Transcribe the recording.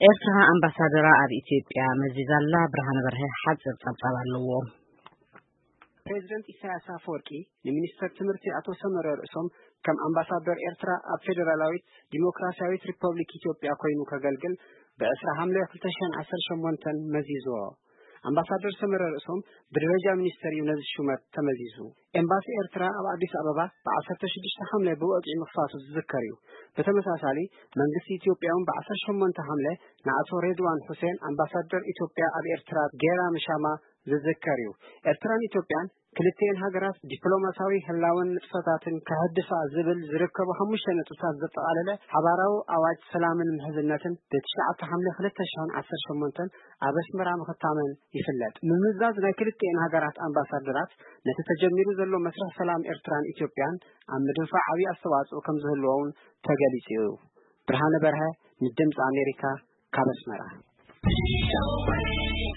ኤርትራ ኣምባሳደራ ኣብ ኢትዮጵያ መዚዛላ። ብርሃነ በርሀ ሓፂር ጸብጻብ ኣለዎ። ፕሬዚደንት ኢሳያስ ኣፈወርቂ ንሚኒስተር ትምህርቲ ኣቶ ሰመረ ርእሶም ከም ኣምባሳደር ኤርትራ ኣብ ፌዴራላዊት ዲሞክራሲያዊት ሪፐብሊክ ኢትዮጵያ ኮይኑ ከገልግል ብዕስራ ሓምለ ክልተ ሽሕን ዓሰርተ ሸሞንተን መዚዝዎ። ኣምባሳደር ሰመረ ርእሶም ብደረጃ ሚኒስተር እዩ ነዚ ሹመት ተመዚዙ። ኤምባሲ ኤርትራ ኣብ ኣዲስ ኣበባ ብዓሰርተ ሽዱሽተ ሓምለ ብወግዒ ምኽፋቱ ዝዝከር እዩ። ብተመሳሳሊ መንግስቲ ኢትዮጵያ እውን ብዓሰርተ ሸሞንተ ሓምለ ንኣቶ ሬድዋን ሁሴን ኣምባሳደር ኢትዮጵያ ኣብ ኤርትራ ጌራ ምሻማ ዝዝከር እዩ። ኤርትራን ኢትዮጵያን ክልቲኤን ሃገራት ዲፕሎማሲያዊ ህላወን ንጥፈታትን ከህድፋ ዝብል ዝርከቡ ሓሙሽተ ነጥብታት ዘጠቓለለ ሓባራዊ ኣዋጅ ሰላምን ምሕዝነትን ብትሽዓተ ሓምለ ክልተ ሽሕን ዓሰርተ ሸሞንተን ኣብ ኣስመራ ምኽታመን ይፍለጥ። ምምዛዝ ናይ ክልቲኤን ሃገራት ኣምባሳደራት ነቲ ተጀሚሩ ዘሎ መስርሕ ሰላም ኤርትራን ኢትዮጵያን ኣብ ምድንፋዕ ዓብዪ ኣስተዋጽኦ ከም ዝህልዎ እውን ተገሊጹ እዩ። ብርሃነ በርሀ ንድምፂ ኣሜሪካ ካብ ኣስመራ።